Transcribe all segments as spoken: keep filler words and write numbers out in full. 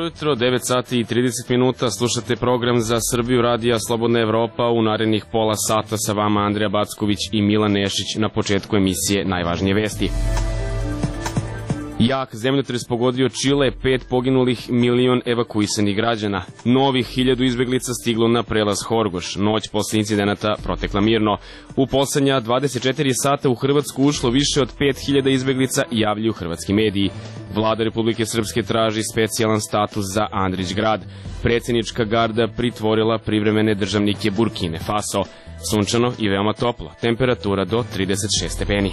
jutro, devet sati i trideset minuta, slušate program za Srbiju radija Slobodna Evropa. U narednih pola sata sa vama Andrija Backović i Milan Nešić. Na početku emisije najvažnije vesti. Jak zemljotres pogodio Čile, pet poginulih, milion evakuisanih građana. Novih hiljadu izbeglica stiglo na prelaz Horgoš. Noć posle incidenata protekla mirno. U poslednja dvadeset četiri sata u Hrvatsku ušlo više od pet hiljada izbeglica, javljaju hrvatski mediji. Vlada Republike Srpske traži specijalan status za Andrić grad. Predsjednička garda pritvorila privremene državnike Burkine Faso. Sunčano i veoma toplo. Temperatura do trideset šest stepeni.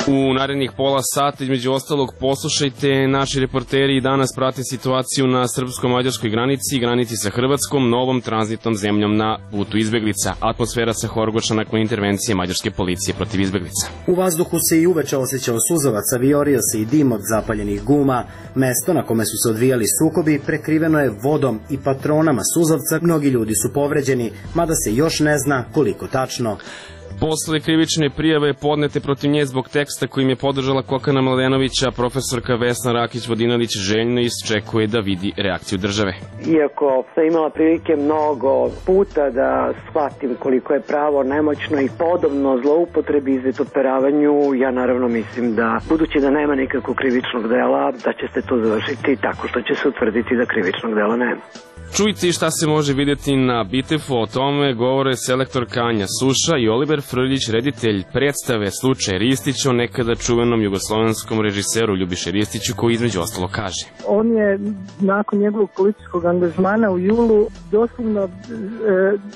U narednih pola sata, između ostalog, poslušajte, naši reporteri i danas prate situaciju na srpsko-mađarskoj granici i granici sa Hrvatskom, novom tranzitnom zemljom na putu izbeglica. Atmosfera sa Horgoša nakon intervencije mađarske policije protiv izbeglica. U vazduhu se i uveče osjećao suzavac, a viorio se i dim od zapaljenih guma. Mesto na kome su se odvijali sukobi prekriveno je vodom i patronama suzavca. Mnogi ljudi su povređeni, mada se još ne zna koliko tačno. Posle krivične prijave podnete protiv nje zbog teksta kojim je podržala Kokana Mladenovića, profesorka Vesna Rakić-Vodinelić željno iščekuje da vidi reakciju države. Iako sam imala prilike mnogo puta da shvatim koliko je pravo nemoćno i podobno zloupotrebi i izvitoperavanju, ja naravno mislim da, budući da nema nikakvog krivičnog dela, da će se to završiti tako što će se utvrditi da krivičnog dela nema. Čujte i šta se može vidjeti na Bitefu, o tome govore selektor Anja Suša i Oliver Frljić, reditelj predstave Slučaj Ristić, o nekada čuvenom jugoslovenskom režiseru Ljubiše Ristiću, koji između ostalo kaže. On je nakon njegovog političkog angažmana u julu doslovno e,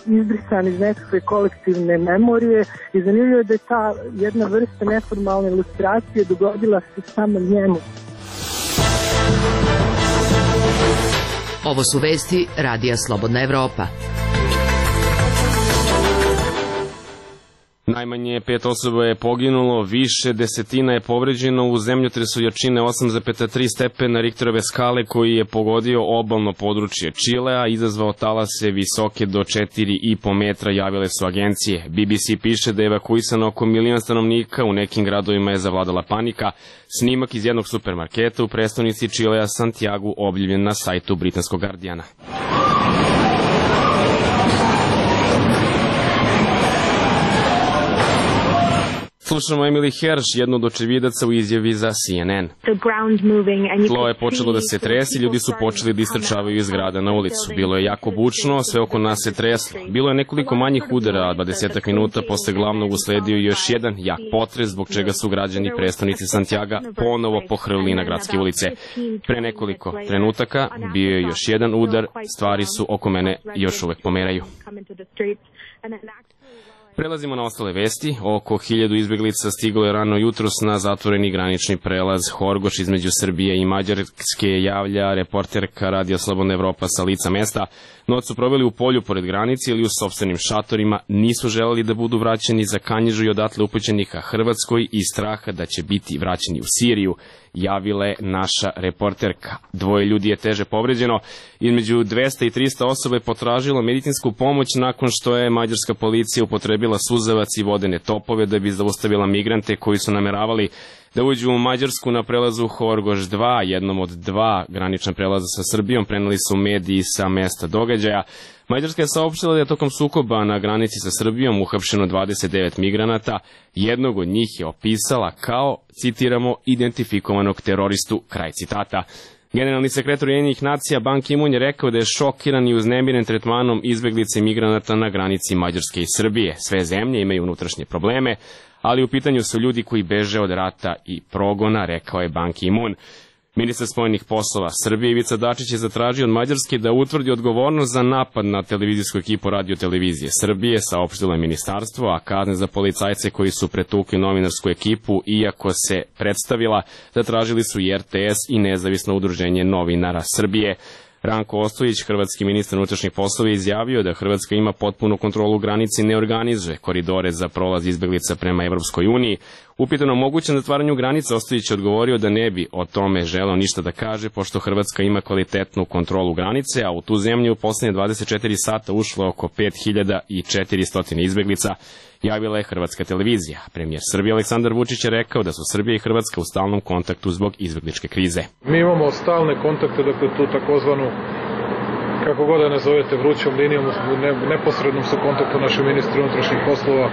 izbrisan iz nekakve kolektivne memorije i zanimljivo je da je ta jedna vrsta neformalne ilustracije dogodila se samo njemu. Ovo su vesti Radija Slobodna Evropa. Najmanje pet osoba je poginulo, više desetina je povređeno u zemljotresu jačine osam zarez tri stepena Richterove skale koji je pogodio obalno područje Čilea, izazvao talase visoke do četiri i po metra, javile su agencije. B B C piše da je evakuisano oko milion stanovnika, u nekim gradovima je zavladala panika. Snimak iz jednog supermarketa u prestonici Čilea Santiagu objavljen na sajtu britanskog Guardiana. Slušamo Emily Hersh, jednu od očevidaca u izjavi za C N N. Tlo je počelo da se tresi, ljudi su počeli da istrčavaju iz grada na ulicu. Bilo je jako bučno, sve oko nas se treslo. Bilo je nekoliko manjih udara, a dvadesetak minuta posle glavnog usledio još jedan jak potres, zbog čega su građani prestonice Santiaga ponovo pohrlili na gradske ulice. Pre nekoliko trenutaka bio je još jedan udar, stvari su oko mene još uvek pomeraju. Prelazimo na ostale vesti. Oko hiljadu izbeglica stiglo je rano jutros na zatvoreni granični prelaz Horgoš između Srbije i Mađarske, javlja reporterka Radija Slobodna Evropa sa lica mesta. Noć su proveli u polju pored granice ili u sopstvenim šatorima, nisu želeli da budu vraćeni za Kanjižu i odatle upućeni ka Hrvatskoj iz straha da će biti vraćeni u Siriju, javila je naša reporterka. Dvoje ljudi je teže povređeno, između dvesta i trista osoba je potražilo medicinsku pomoć nakon što je mađarska policija upotrebila suzavac i vodene topove da bi zaustavila migrante koji su nameravali da uđu u Mađarsku na prelazu Horgoš dva, jednom od dva granična prelaza sa Srbijom, preneli su mediji sa mesta događaja. Mađarska je saopštila da je tokom sukoba na granici sa Srbijom uhapšeno dvadeset devet migranata, jednog od njih je opisala kao, citiramo, identifikovanog teroristu, kraj citata. Generalni sekretar Ujedinjenih nacija Ban Ki-moon je rekao da je šokiran i uznemiren tretmanom izbeglica i migranata na granici Mađarske i Srbije. Sve zemlje imaju unutrašnje probleme, ali u pitanju su ljudi koji beže od rata i progona, rekao je Ban Ki-moon. Ministar spoljnih poslova Srbije Ivica Dačić je zatražio od Mađarske da utvrdi odgovornost za napad na televizijsku ekipu Radio-televizije Srbije, saopštilo je ministarstvo, a kazne za policajce koji su pretukli novinarsku ekipu, iako se predstavila, zatražili su i R T S i nezavisno udruženje novinara Srbije. Ranko Ostojić, hrvatski ministar unutrašnjih poslova, izjavio da Hrvatska ima potpunu kontrolu granice i ne organizuje koridore za prolaz izbeglica prema Evropskoj uniji. Upitano o mogućem zatvaranju granica, Ostojić je odgovorio da ne bi o tome želeo ništa da kaže, pošto Hrvatska ima kvalitetnu kontrolu granice, a u tu zemlju u poslednje dvadeset četiri sata ušlo oko pet hiljada četiristo izbeglica. javila je Hrvatska televizija. Premijer Srbije Aleksandar Vučić je rekao da su Srbija i Hrvatska u stalnom kontaktu zbog izbegličke krize. Mi imamo stalne kontakte, dakle tu takozvanu, kako god da nazovete, vrućom linijom, ne, neposrednom su kontaktu naši ministri unutrašnjih poslova,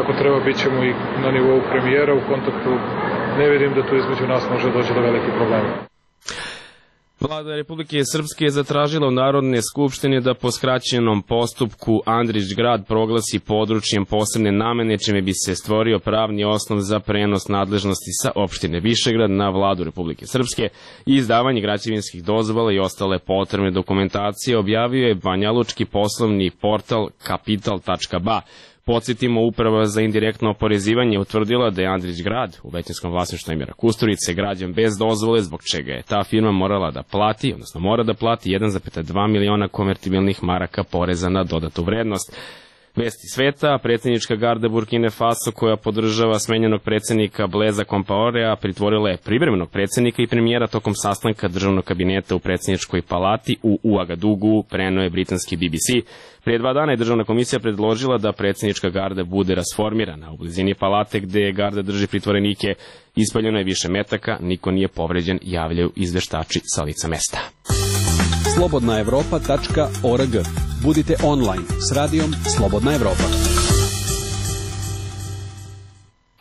ako treba bit ćemo i na nivou premijera u kontaktu, ne vidim da tu između nas može doći do velikih problema. Vlada Republike Srpske je zatražila u Narodne skupštine da po skraćenom postupku Andrić grad proglasi područjem posebne namene, čime bi se stvorio pravni osnov za prenos nadležnosti sa opštine Višegrad na Vladu Republike Srpske i izdavanje građevinskih dozvola i ostale potrebne dokumentacije, objavio je banjalučki poslovni portal kapital tačka ba. Podsjetimo, Uprava za indirektno oporezivanje utvrdila da je Andrić grad u većinskom vlasništvu Emira Kusturice građen bez dozvole, zbog čega je ta firma morala da plati, odnosno mora da plati jedan zarez dva miliona konvertibilnih maraka poreza na dodatu vrednost. Vesti sveta, predsjednička garda Burkine Faso, koja podržava smenjenog predsjednika Bleza Kompaorea, pritvorila je privremenog predsjednika i premijera tokom sastanka državnog kabineta u predsjedničkoj palati u Uagadugu, preneo je britanski B B C. Prije dva dana je državna komisija predložila da predsjednička garda bude rasformirana. U blizini palate gde garda drži pritvorenike ispaljeno je više metaka, niko nije povređen, javljaju izveštači sa lica mesta. slobodna evropa tačka org. Budite online s radijom Slobodna Evropa.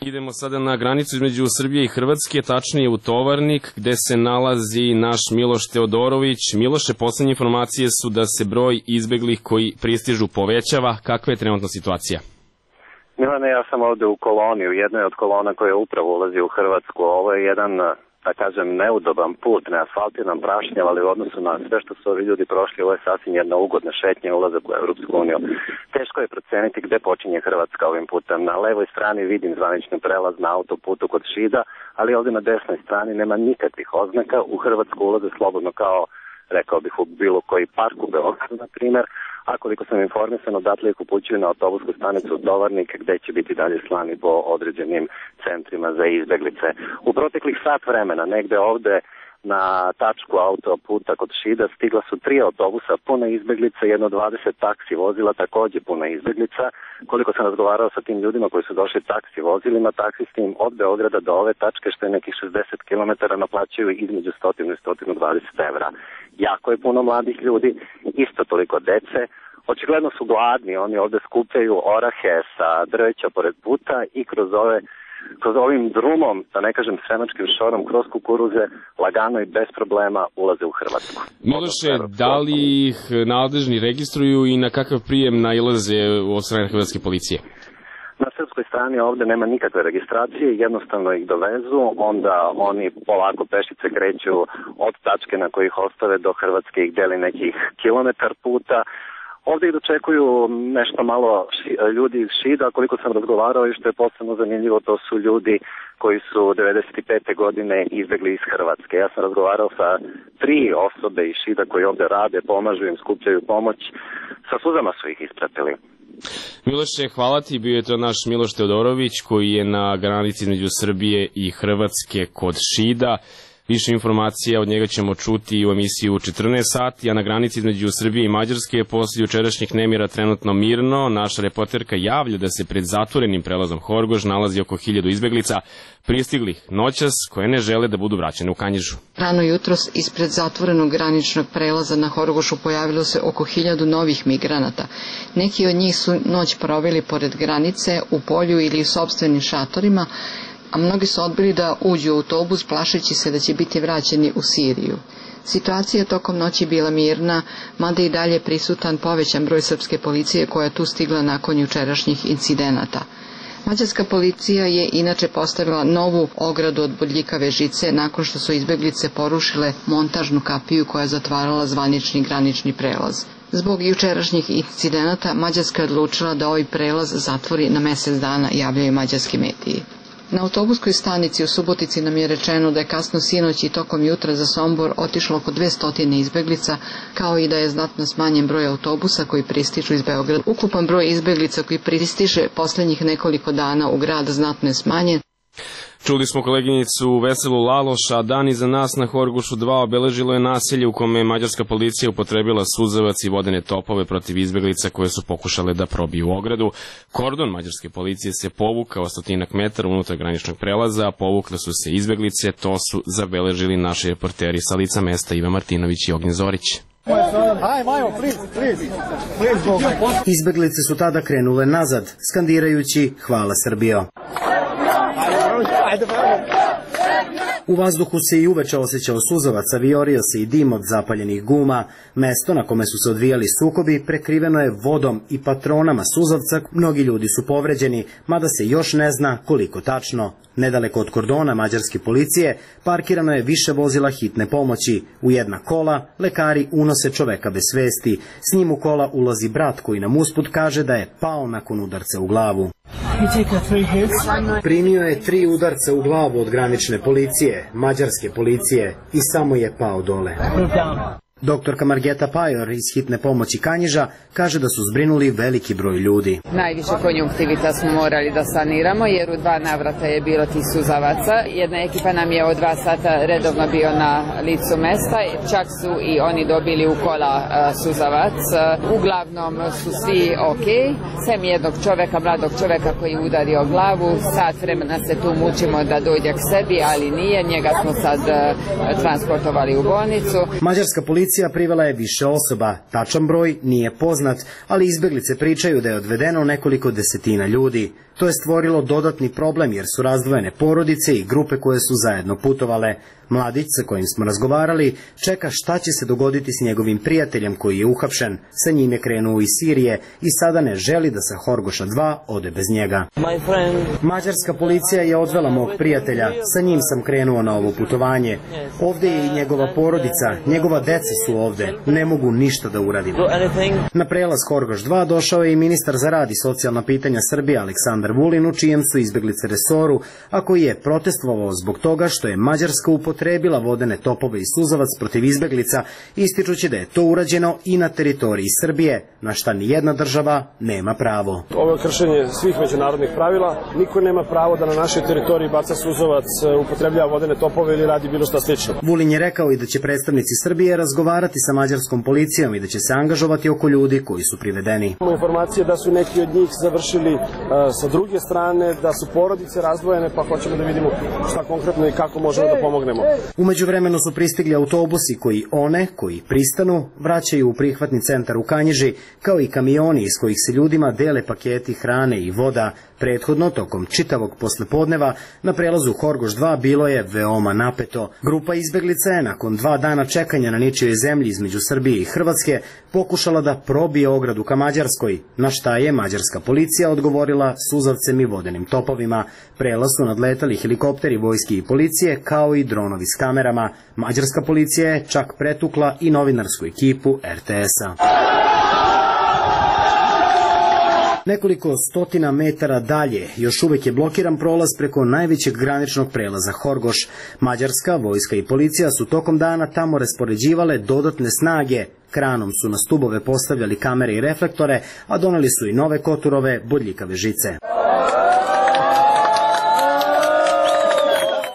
Idemo sada na granicu između Srbije i Hrvatske, tačnije u Tovarnik, gde se nalazi naš Miloš Teodorović. Miloše, poslednje informacije su da se broj izbeglih koji pristižu povećava. Kakva je trenutna situacija? Milane, ja sam ovde u koloni, u jednoj od kolona koja upravo ulazi u Hrvatsku. Ovo je jedan, da kažem, neudoban put, neasfaltiran, prašnjav, ali u odnosu na sve što su ovi ljudi prošli, ovo je sasvim jedna ugodna šetnja, ulazak u Evropsku uniju. Teško je proceniti gde počinje Hrvatska ovim putem. Na levoj strani vidim zvanični prelaz na autoputu kod Šida, ali ovde na desnoj strani nema nikakvih oznaka. U Hrvatsku ulaze slobodno kao, rekao bih, u bilo koji park u Beogradu, na primer, a koliko sam informisan, odatle ih upućuju na autobusku stanicu Tovarnik, gde će biti dalje slani po određenim centrima za izbeglice. U proteklih sat vremena, negde ovde na tačku autoputa kod Šida, stigla su tri autobusa puna izbeglica, jedno dvadeset taksi vozila, takođe puna izbeglica. Koliko sam razgovarao sa tim ljudima koji su došli taksi vozilima, taksi s tim od Beograda do ove tačke, što je nekih šezdeset kilometara, naplaćuju između sto i sto dvadeset evra. Jako je puno mladih ljudi, isto toliko dece. Očigledno su gladni, oni ovde skupljaju orahe sa drveća pored puta i kroz ove kroz ovim drumom, da ne kažem sremačkim šorom, kroz kukuruze, lagano i bez problema ulaze u Hrvatsku. Miloše, da li ih nadležni registruju i na kakav prijem nailaze od strane hrvatske policije? Na srpskoj strani ovde nema nikakve registracije, jednostavno ih dovezu, onda oni polako pešice kreću od tačke na kojih ostave do Hrvatske, ih deli nekih kilometar puta. Ovde ih dočekuju nešto malo ši, ljudi iz Šida, koliko sam razgovarao i što je posebno zanimljivo, to su ljudi koji su devedeset pete godine izbegli iz Hrvatske. Ja sam razgovarao sa tri osobe iz Šida koji ovde rade, pomažu im, skupljaju pomoć, sa suzama su ih ispratili. Miloše, hvala ti, bio je to naš Miloš Teodorović koji je na granici između Srbije i Hrvatske kod Šida. Više informacija od njega ćemo čuti u emisiji u četrnaest sati, a na granici između Srbije i Mađarske je posle jučerašnjih nemira trenutno mirno. Naša reporterka javlja da se pred zatvorenim prelazom Horgoš nalazi oko hiljadu izbeglica pristiglih noćas koje ne žele da budu vraćene u Kanjižu. Rano jutros ispred zatvorenog graničnog prelaza na Horgošu pojavilo se oko hiljadu novih migranata. Neki od njih su noć proveli pored granice, u polju ili u sopstvenim šatorima, a mnogi su odbili da uđu u autobus plašeći se da će biti vraćeni u Siriju. Situacija tokom noći bila mirna, mada i dalje prisutan povećan broj srpske policije koja je tu stigla nakon jučerašnjih incidenata. Mađarska policija je inače postavila novu ogradu od bodljikave žice nakon što su izbeglice porušile montažnu kapiju koja je zatvarala zvanični granični prelaz. Zbog jučerašnjih incidenata Mađarska je odlučila da ovaj prelaz zatvori na mesec dana, javljaju mađarski mediji. Na autobuskoj stanici u Subotici nam je rečeno da je kasno sinoć i tokom jutra za Sombor otišlo oko dvesta izbeglica, kao i da je znatno smanjen broj autobusa koji pristižu iz Beograda. Ukupan broj izbeglica koji pristiže poslednjih nekoliko dana u grad znatno je smanjen. Čuli smo koleginicu Veselu Laloš, a dan iza nas na Horgošu dva obeležilo je naselje u kome je mađarska policija upotrebila suzavac i vodene topove protiv izbeglica koje su pokušale da probiju ogradu. Kordon mađarske policije se povukao stotinak metara unutar graničnog prelaza, a povukle su se izbeglice, to su zabeležili naši reporteri sa lica mesta Iva Martinović i Ognjen Zorić. Izbeglice su tada krenule nazad, skandirajući "Hvala Srbijo". U vazduhu se i uveče osjećao suzavac, aviorio se i dim od zapaljenih guma. Mesto na kome su se odvijali sukobi prekriveno je vodom i patronama suzavca. Mnogi ljudi su povređeni, mada se još ne zna koliko tačno. Nedaleko od kordona mađarske policije parkirano je više vozila hitne pomoći. U jedna kola lekari unose čoveka bez svesti. S njim u kola ulazi brat koji nam usput kaže da je pao nakon udarca u glavu. Primio je tri udarca u glavu od granične policije, mađarske policije, i samo je pao dole. Doktorka Margeta Pajor iz hitne pomoći Kanjiža kaže da su zbrinuli veliki broj ljudi. Najviše konjunktivita smo morali da saniramo jer u dva navrata je bilo tih suzavaca. Jedna ekipa nam je od dva sata redovno bio na licu mesta, čak su i oni dobili u kola suzavac. Uglavnom su svi ok, sem jednog čoveka, mladog čoveka koji je udario glavu. Sat vremena se tu mučimo da dođe k sebi, ali nije, njega smo sad transportovali u bolnicu. Mađarska policija Policija privela je više osoba, tačan broj nije poznat, ali izbeglice pričaju da je odvedeno nekoliko desetina ljudi. To je stvorilo dodatni problem jer su razdvojene porodice i grupe koje su zajedno putovale. Mladić sa kojim smo razgovarali čeka šta će se dogoditi s njegovim prijateljem koji je uhapšen. Sa njim je krenuo iz Sirije i sada ne želi da sa Horgoša dva ode bez njega. Mađarska policija je odvela mog prijatelja, sa njim sam krenuo na ovo putovanje. Ovde je i njegova porodica, njegova deca su ovde, ne mogu ništa da uradim. Na prelaz Horgoš dva došao je i ministar za rad i socijalna pitanja Srbije Aleksandar Vulin, u čijem su izbeglice resoru, a koji je protestvovao zbog toga što je Mađarska upotrebila vodene topove i suzavac protiv izbeglica, ističući da je to urađeno i na teritoriji Srbije, na šta ni jedna država nema pravo. Ovo je kršenje svih međunarodnih pravila. Niko nema pravo da na našoj teritoriji baca suzavac, upotrebljava vodene topove ili radi bilo šta slično. Vulin je rekao i da će predstavnici Srbije razgovarati sa mađarskom policijom i da će se angažovati oko ljudi koji su privedeni. Imamo informacije da su neki od njih završili uh, sa druge strane, da su porodice razdvojene, pa hoćemo da vidimo šta konkretno i kako možemo da pomognemo. U međuvremenu su pristigli autobusi koji one, koji pristanu, vraćaju u prihvatni centar u Kanjiži, kao i kamioni iz kojih se ljudima dele paketi hrane i voda. Prethodno, tokom čitavog poslepodneva, na prelazu Horgoš dva bilo je veoma napeto. Grupa izbeglica je, nakon dva dana čekanja na ničijoj zemlji između Srbije i Hrvatske, pokušala da probije ogradu ka Mađarskoj, na šta je mađarska policija odgovorila suzavcem i vodenim topovima. Prelaz su nadletali helikopteri vojske i policije, kao i dronovi s kamerama. Mađarska policija je čak pretukla i novinarsku ekipu er te es-a. Nekoliko stotina metara dalje još uvek je blokiran prolaz preko najvećeg graničnog prelaza Horgoš. Mađarska, vojska i policija su tokom dana tamo raspoređivale dodatne snage. Kranom su na stubove postavljali kamere i reflektore, a doneli su i nove koturove, bodljikave žice.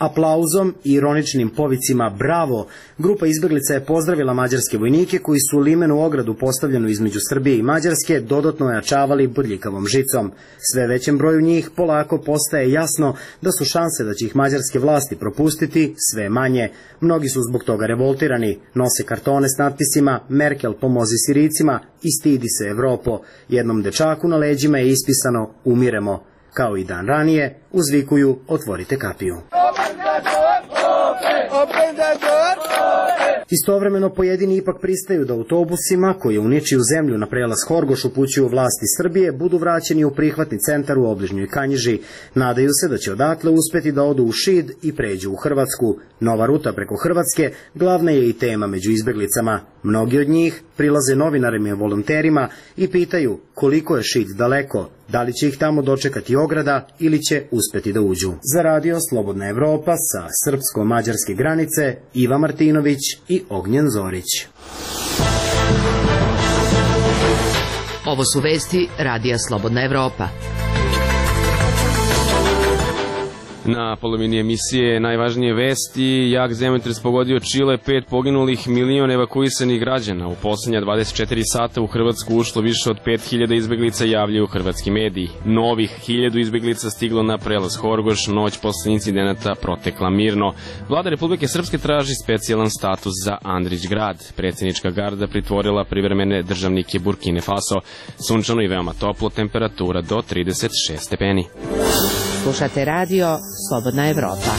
Aplauzom i ironičnim povicima "Bravo", grupa izbeglica je pozdravila mađarske vojnike koji su limenu ogradu postavljenu između Srbije i Mađarske dodatno ojačavali bodljikavom žicom. Sve većem broju njih polako postaje jasno da su šanse da će ih mađarske vlasti propustiti sve manje. Mnogi su zbog toga revoltirani, nose kartone s natpisima "Merkel pomozi Sirijcima" i "Stidi se Evropo". Jednom dečaku na leđima je ispisano "Umiremo". Kao i dan ranije, uzvikuju "Otvorite kapiju". Istovremeno pojedini ipak pristaju da autobusima koji u ničiju zemlju na prelaz Horgoš upućuju vlasti Srbije budu vraćeni u prihvatni centar u obližnjoj Kanjiži. Nadaju se da će odatle uspeti da odu u Šid i pređu u Hrvatsku. Nova ruta preko Hrvatske glavna je i tema među izbeglicama. Mnogi od njih prilaze novinarima i volonterima i pitaju koliko je Šid daleko, da li će ih tamo dočekati ograda ili će uspeti da uđu. Za radio Slobodna Evropa sa srpsko-mađarske granice, Iva Martinović i Ognjen Zorić. Ovo su vesti radija Slobodna Evropa. Na polovini emisije najvažnije vesti: jak zemljotres pogodio Čile, pet poginulih, milion evakuisanih građana. U poslednja dvadeset četiri sata u Hrvatsku ušlo više od pet hiljada izbeglica, javljaju hrvatski mediji. Novih hiljadu izbeglica stiglo na prelaz Horgoš, noć posle incidenata protekla mirno. Vlada Republike Srpske traži specijalan status za Andrić grad. Predsjednička garda pritvorila privremene državnike Burkine Faso. Sunčano i veoma toplo, temperatura do trideset šest stepeni. Slušate radio Slobodna Evropa.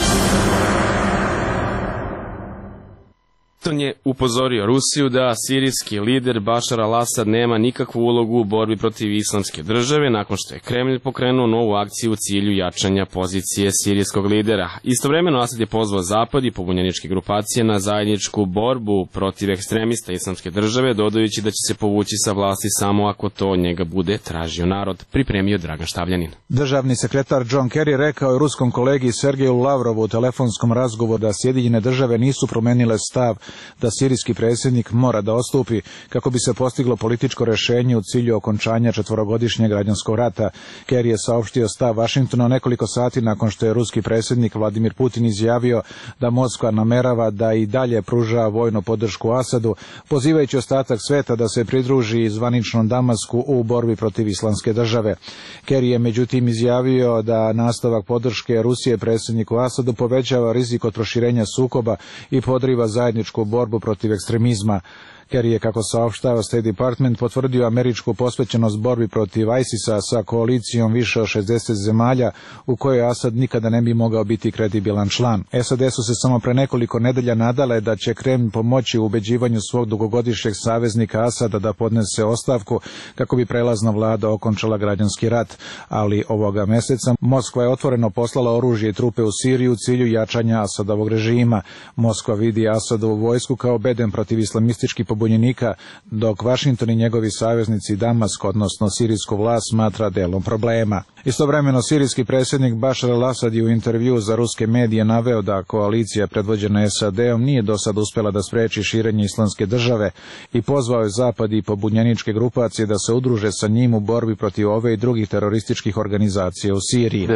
Washington je upozorio Rusiju da sirijski lider Bašar al-Asad nema nikakvu ulogu u borbi protiv islamske države nakon što je Kremlj pokrenuo novu akciju u cilju jačanja pozicije sirijskog lidera. Istovremeno Asad je pozvao Zapad i pobunjeničke grupacije na zajedničku borbu protiv ekstremista islamske države, dodajući da će se povući sa vlasti samo ako to od njega bude tražio narod, pripremio Dragan Štavljanin. Državni sekretar John Kerry rekao je ruskom kolegi Sergeju Lavrovu u telefonskom razgovoru da Sjedinjene države nisu promenile stav da sirijski predsjednik mora da odstupi kako bi se postiglo političko rešenje u cilju okončanja četvorogodišnjeg građanskog rata. Kerry je saopštio stav Vašingtona nekoliko sati nakon što je ruski predsjednik Vladimir Putin izjavio da Moskva namerava da i dalje pruža vojnu podršku Asadu, pozivajući ostatak sveta da se pridruži zvaničnom Damasku u borbi protiv islamske države. Kerry je međutim izjavio da nastavak podrške Rusije predsjedniku Asadu povećava rizik od proširenja sukoba i podriva zajedničku borbu protiv ekstremizma. Kerry je, kako saopštava State Department, potvrdio američku posvećenost borbi protiv ISIS-a sa koalicijom više od šezdeset zemalja u kojoj Asad nikada ne bi mogao biti kredibilan član. S A D su se samo pre nekoliko nedelja nadale da će Kremlj pomoći u ubeđivanju svog dugogodišnjeg saveznika Asada da podnese ostavku kako bi prelazna vlada okončala građanski rat, ali ovoga meseca Moskva je otvoreno poslala oružje i trupe u Siriju u cilju jačanja Asadovog režima. Moskva vidi Asadovu vojsku kao bedem protiv islamističkih pobunjenika, dok Vašington i njegovi saveznici Damask, odnosno sirijsku vlast, smatra delom problema. Istovremeno, sirijski predsjednik Bašar al-Asad je u intervju za ruske medije naveo da koalicija predvođena S A D-om nije do sad uspela da spreči širenje islamske države i pozvao je Zapad i pobunjeničke grupacije da se udruže sa njim u borbi protiv ove i drugih terorističkih organizacija u Siriji.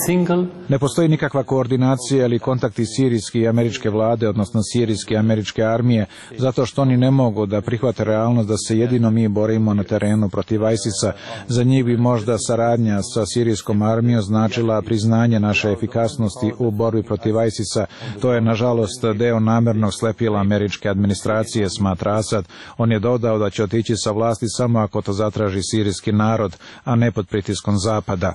Single... Ne postoji nikakva koordinacija ili kontakti sirijske i američke vlade, odnosno sirijske i američke armije, zato što oni ne mogu da prihvate realnost da se jedino mi borimo na terenu protiv ISIS-a. Za njih bi možda saradnja sa sirijskom armijom značila priznanje naše efikasnosti u borbi protiv ISIS-a. To je, nažalost, deo namernog slepila američke administracije, smatra Asad. On je dodao da će otići sa vlasti samo ako to zatraži sirijski narod, a ne pod pritiskom Zapada.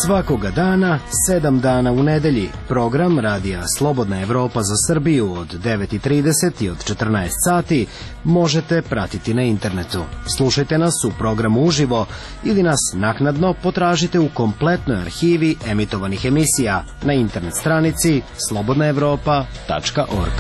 Svakoga dana, sedam dana u nedelji, program Radija Slobodna Evropa za Srbiju od devet i trideset i od četrnaest sati možete pratiti na internetu. Slušajte nas u programu uživo ili nas naknadno potražite u kompletnoj arhivi emitovanih emisija na internet stranici slobodna evropa tačka org.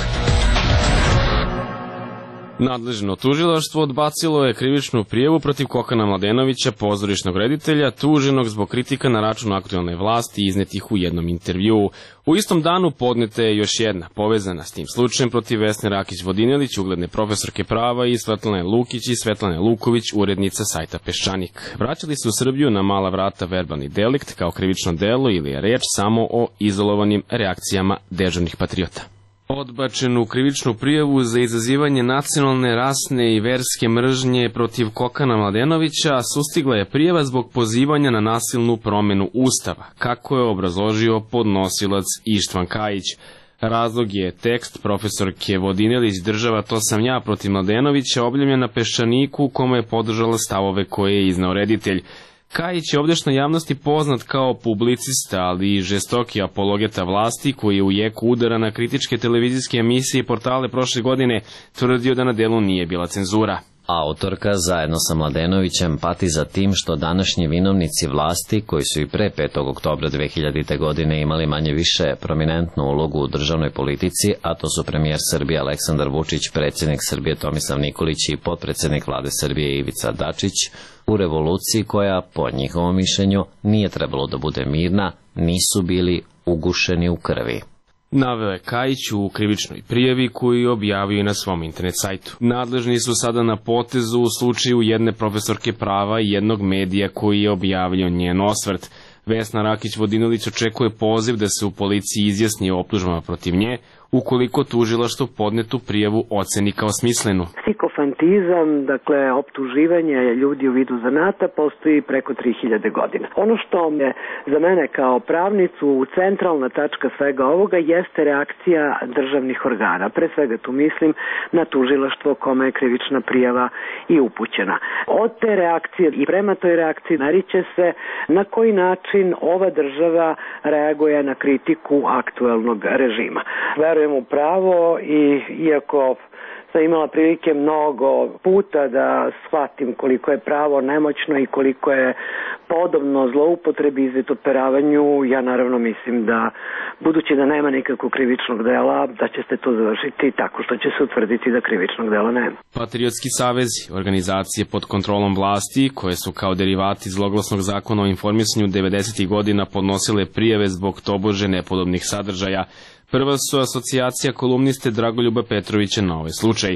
Nadležno tužilaštvo odbacilo je krivičnu prijavu protiv Kokana Mladenovića, pozorišnog reditelja, tuženog zbog kritika na račun aktuelne vlasti iznetih u jednom intervjuu. U istom danu podneta je još jedna, povezana s tim slučajem, protiv Vesne Rakić-Vodinelić, ugledne profesorke prava, i Svetlane Lukić i Svetlane Luković, urednica sajta Peščanik. Vraćali se u Srbiju na mala vrata verbalni delikt kao krivično delo ili je reč samo o izolovanim reakcijama dežurnih patriota. Odbačenu krivičnu prijavu za izazivanje nacionalne, rasne i verske mržnje protiv Kokana Mladenovića sustigla je prijava zbog pozivanja na nasilnu promenu Ustava, kako je obrazložio podnosilac Ištvan Kajić. Razlog je tekst profesorke Vodinelić "Država, to sam ja" protiv Mladenovića, objavljen na Peščaniku, u kome je podržala stavove koje je izneo reditelj. Kajić je ovdešnjoj javnosti poznat kao publicista, ali i žestoki apologeta vlasti, koji je u jeku udara na kritičke televizijske emisije i portale prošle godine tvrdio da na delu nije bila cenzura. Autorka zajedno sa Mladenovićem pati za tim što današnji vinovnici vlasti, koji su i pre petog oktobra dve hiljadite. godine imali manje više prominentnu ulogu u državnoj politici, a to su premijer Srbije Aleksandar Vučić, predsjednik Srbije Tomislav Nikolić i potpredsjednik vlade Srbije Ivica Dačić, u revoluciji koja, po njihovom mišljenju, nije trebalo da bude mirna, nisu bili ugušeni u krvi. Naveo je Kajić u krivičnoj prijavi koju je objavio na svom internet sajtu. Nadležni su sada na potezu u slučaju jedne profesorke prava i jednog medija koji je objavio njen osvrt. Vesna Rakić-Vodinelić očekuje poziv da se u policiji izjasni o optužbama protiv nje, ukoliko tužilaštvo podnetu prijavu oceni kao smislenu. Psikofantizam, dakle optuživanje ljudi u vidu zanata, postoji preko tri hiljade godina. Ono što je za mene kao pravnicu centralna tačka svega ovoga jeste reakcija državnih organa. Pre svega tu mislim na tužilaštvo kome je krivična prijava i upućena. Od te reakcije i prema toj reakciji nariće se na koji način ova država reaguje na kritiku aktuelnog režima. Verujem u pravo i iako sam imala prilike mnogo puta da shvatim koliko je pravo nemoćno i koliko je podobno zloupotrebi i izvitoperavanju, ja naravno mislim da, budući da nema nikakvog krivičnog dela, da će se to završiti tako što će se utvrditi da krivičnog dela nema. Patriotski savezi, organizacije pod kontrolom vlasti, koje su kao derivati zloglasnog zakona o informisanju devedesetih godina podnosile prijave zbog tobože nepodobnih sadržaja, prva su asocijacija kolumniste Dragoljuba Petrovića na ovaj slučaj.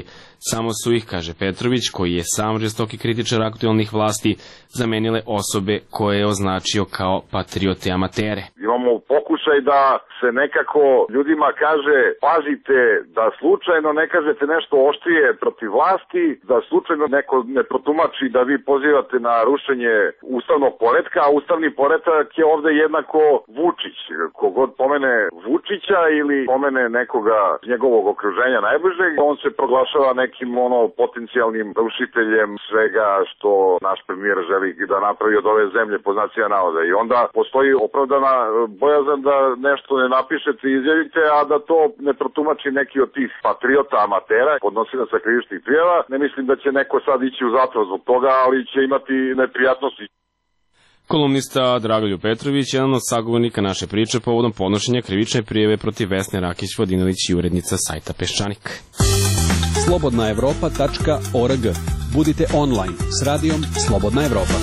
Samo su ih, kaže Petrović, koji je sam žestoki kritičar aktuelnih vlasti, zamenile osobe koje je označio kao patriote amatere. Imamo pokušaj da se nekako ljudima kaže, pazite da slučajno ne kažete nešto oštrije protiv vlasti, da slučajno neko ne protumači da vi pozivate na rušenje ustavnog poretka, a ustavni poretak je ovde jednako Vučić. Kogod pomene Vučića ili pomene nekoga iz njegovog okruženja najbližeg, on se proglašava nekim ono potencijalnim rušiteljem svega što naš premijer želi da napravi od ove zemlje po znacima navoda. I onda postoji opravdana bojazan da nešto ne napišete i izjavite, a da to ne protumači neki od tih patriota amatera, podnosilaca krivičnih prijava. Ne mislim da će neko sad ići u zatvor zbog toga, ali će imati neprijatnosti. Kolumnista Dragoljub Petrović je jedan od sagovornika naše priče povodom podnošenja krivične prijave protiv Vesne Rakić-Vodinelić i urednica sajta Peščanik. slobodna evropa tačka org. Budite online s radijom Slobodna Evropa.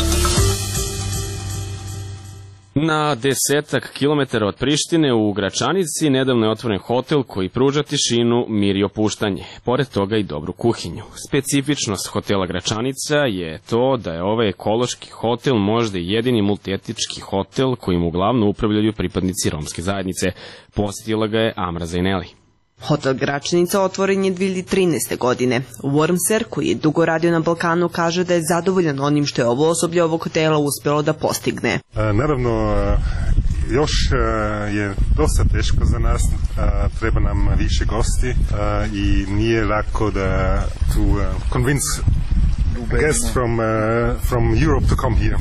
Na desetak kilometara od Prištine u Gračanici nedavno je otvoren hotel koji pruža tišinu, mir i opuštanje, pored toga i dobru kuhinju. Specifičnost hotela Gračanica je to da je ovaj ekološki hotel možda i jedini multietnički hotel kojim uglavnom upravljaju pripadnici romske zajednice. Posjetila ga je Amra Zajneli. Hotel Gračanica otvoren je dve hiljade trinaeste. godine. Wormser, koji je dugo radio na Balkanu, kaže da je zadovoljan onim što je ovo osoblje ovog hotela uspjelo da postigne. A, naravno, još je dosta teško za nas, a, treba nam više gosti a, i nije lako da to uh, convince guests from, uh, from Europe to come here.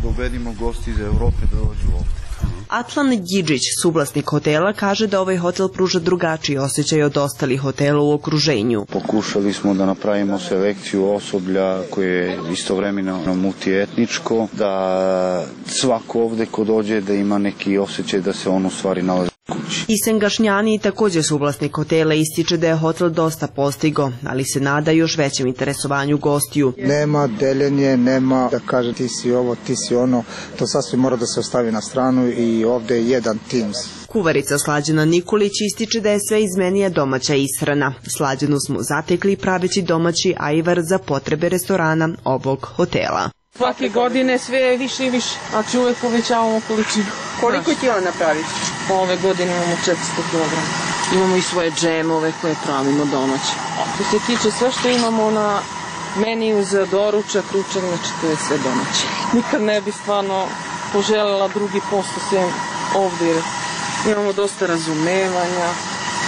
Dovedimo gosti iz Europe da dođu ovdje. Atlan Đidžić, suvlasnik hotela, kaže da ovaj hotel pruža drugačiji osjećaj od ostalih hotela u okruženju. Pokušali smo da napravimo selekciju osoblja koje je istovremeno multietničko, da svako ovde ko dođe da ima neki osjećaj da se on u stvari nalazi kući. Isen Gašnjani, također suvlasnik hotela, ističe da je hotel dosta postigo, ali se nada još većem interesovanju gostiju. Nema deljenje, nema da kaže ti si ovo, ti si ono, to sasvim mora da se ostavi na stranu i ovde je jedan tim. Kuvarica Slađana Nikolić ističe da je sve izmenija domaća ishrana. Slađanu smo zatekli praveći domaći ajvar za potrebe restorana ovog hotela. Svake godine sve je više i više, znači uvek povećavamo količinu. Koliko kila napraviti? Ove godine imamo četiristo kilograma. Imamo i svoje džemove koje pravimo domaće. Što se tiče sve što imamo na meniju za doručak, ručak, znači to je sve domaće. Nikad ne bi stvarno poželjela drugi posto sve ovdje, jer imamo dosta razumevanja,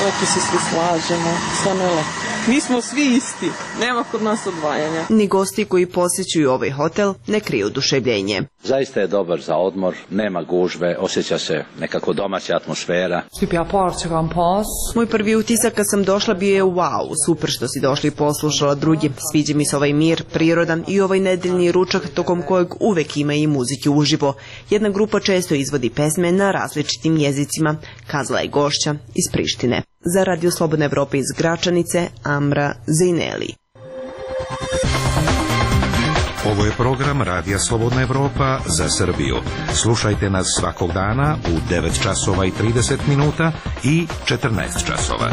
lepo se svi slažemo, stvarno je lepo. Mi smo svi isti, nema kod nas odvajanja. Ni gosti koji posjećuju ovaj hotel ne kriju oduševljenje. Zaista je dobar za odmor, nema gužve, osjeća se nekako domaća atmosfera. Moj prvi utisak kad sam došla bio je wow, super što si došli i poslušala drugi. Sviđa mi se ovaj mir, prirodan i ovaj nedeljni ručak tokom kojeg uvek ima i muzike uživo. Jedna grupa često izvodi pesme na različitim jezicima, kazala je gošća iz Prištine. Za Radio Slobodna Evropa iz Gračanice, Amra Zajneli. Ovo je program Radija Slobodna Evropa za Srbiju. Slušajte nas svakog dana u devet časova i trideset minuta i četrnaest časova.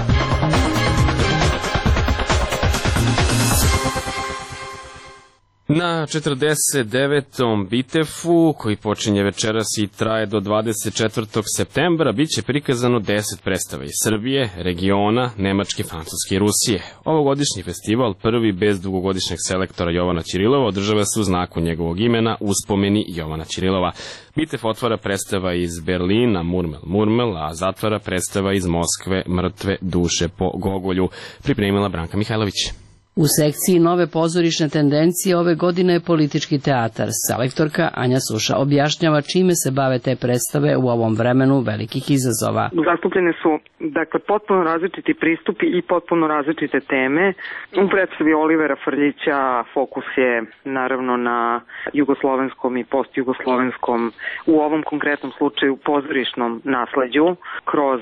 Na četrdeset devetom Bitefu, koji počinje večeras i traje do dvadeset četvrtog septembra, bit će prikazano deset predstava iz Srbije, regiona, Nemačke, Francuske i Rusije. Ovogodišnji festival, prvi bez dugogodišnjeg selektora Jovana Ćirilova, održava se u znaku njegovog imena, uspomeni Jovana Ćirilova. Bitef otvara predstava iz Berlina, Murmel, Murmel, a zatvara predstava iz Moskve, Mrtve duše po Gogolju, pripremila Branka Mihajlović. U sekciji Nove pozorišne tendencije ove godine je politički teatar. Selektorka Anja Suša objašnjava čime se bave te predstave u ovom vremenu velikih izazova. Zastupljene su dakle, potpuno različiti pristupi i potpuno različite teme. U predstavi Olivera Frljića fokus je naravno na jugoslovenskom i postjugoslovenskom, u ovom konkretnom slučaju pozorišnom nasleđu, kroz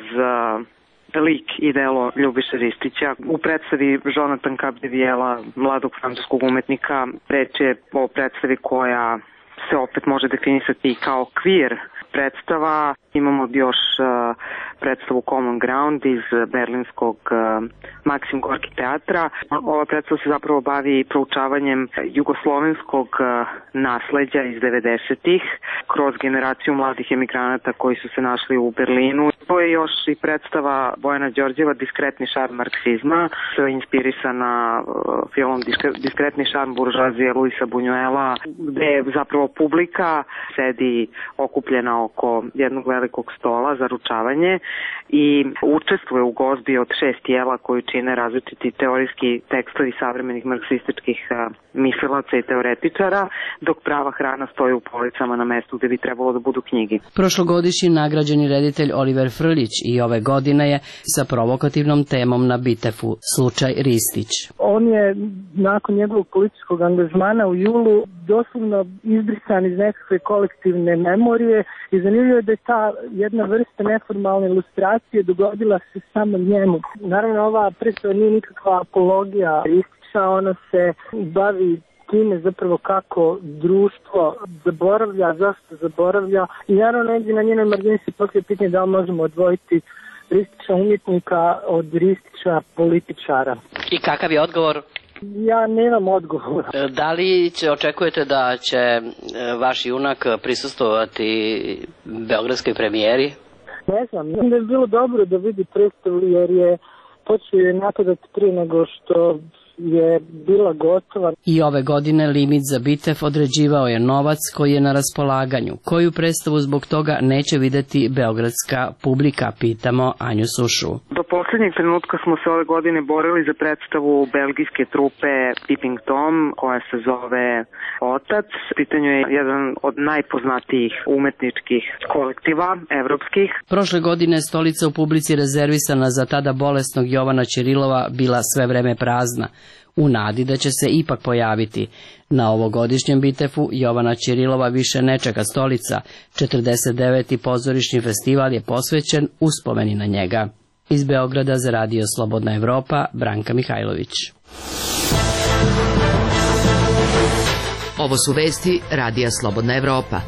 lik i delo Ljubiše Ristića. U predstavi Jonathan Capdevijela, mladog francuskog umetnika, reč je o predstavi koja se opet može definisati kao queer predstava. Imamo još uh, predstavu Common Ground iz berlinskog uh, Maksim Gorki teatra. Ova predstava se zapravo bavi proučavanjem jugoslovenskog uh, nasleđa iz devedesetih kroz generaciju mladih emigranata koji su se našli u Berlinu. To je još i predstava Bojana Đorđeva Diskretni šarm marksizma, što je inspirisana uh, filmom Diskretni šarm buržoazije Luisa Buñuela, gde zapravo publika sedi okupljena oko jednog velikog stola za ručavanje i učestvuje u gozbi od šest tijela koju čine različiti teorijski tekstovi savremenih marksističkih mislilaca i teoretičara, dok prava hrana stoji u policama na mestu gde bi trebalo da budu knjigi. Prošlogodišnji nagrađeni reditelj Oliver Frljić i ove godine je sa provokativnom temom na Bitefu, slučaj Ristić. On je nakon njegovog političkog angažmana u julu doslovno izbrisan iz nekakve kolektivne memorije i zanimljivo je da je ta jedna vrsta neformalne ilustracije dogodila se samo njemu. Naravno, ova predstava nije nikakva apologija Ristića, ona se bavi time zapravo kako društvo zaboravlja, zašto zaboravlja i naravno negdje na njenoj margini se postoje pitanje da li možemo odvojiti Ristića umjetnika od Ristića političara. I kakav je odgovor? Ja nemam odgovor. Da li će, očekujete da će vaš junak prisustvovati beogradskoj premijeri? Ne znam, mislim da je bilo dobro da vidi predstavu jer je počeo je napadati prije nego što je bila gotova. I ove godine limit za Bitef određivao je novac koji je na raspolaganju. Koju predstavu zbog toga neće videti beogradska publika, pitamo Anju Sušu. Do posljednjeg trenutka smo se ove godine borili za predstavu belgijske trupe Peeping Tom, koja se zove Otac. Pitanju je jedan od najpoznatijih umetničkih kolektiva evropskih. Prošle godine stolica u publici rezervisana za tada bolesnog Jovana Ćirilova bila sve vreme prazna, u nadi da će se ipak pojaviti. Na ovogodišnjem Bitefu Jovana Ćirilova više ne čeka stolica. četrdeset deveti pozorišni festival je posvećen uspomeni na njega. Iz Beograda za Radio Slobodna Evropa, Branka Mihajlović. Ovo su vesti Radija Slobodna Evropa.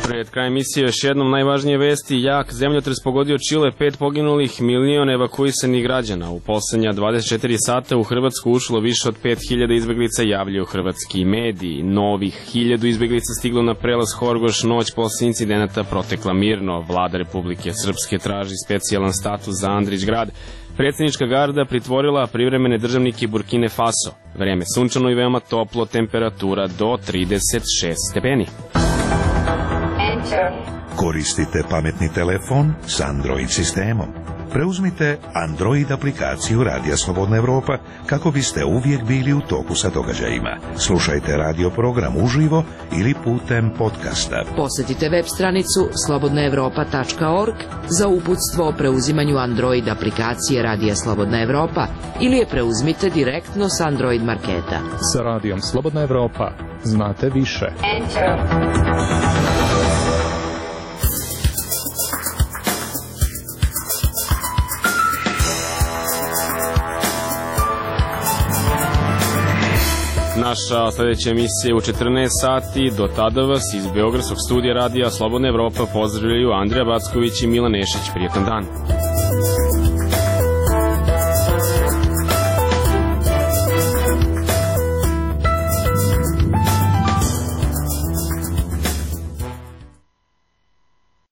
Pred kraj emisije još jednom najvažnije vesti. Jak zemljotres pogodio Čile, pet poginulih, milion evakuisanih građana. U poslednja dvadeset četiri sata u Hrvatsku ušlo više od pet hiljada izbeglica, javljaju hrvatski mediji. Novih hiljadu izbeglica stiglo na prelaz Horgoš, noć posle incidenata protekla mirno. Vlada Republike Srpske traži specijalan status za Andrić grad. Predsjednička garda pritvorila privremene državnike Burkine Faso. Vreme sunčano i veoma toplo, temperatura do trideset šest stepeni. Koristite pametni telefon s Android sistemom. Preuzmite Android aplikaciju Radija Slobodna Evropa kako biste uvijek bili u toku sa događajima. Slušajte radio program uživo ili putem podcasta. Posjetite web stranicu slobodna evropa tačka org za uputstvo o preuzimanju Android aplikacije Radija Slobodna Evropa ili je preuzmite direktno s Android marketa. Sa Radijom Slobodna Evropa znate više. Enter. Naša sljedeća emisija je u četrnaest sati. Do tada vas iz Beogradskog studija Radija Slobodna Evropa pozdravljaju Andrija Backović i Milan Nešić. Prijetan dan.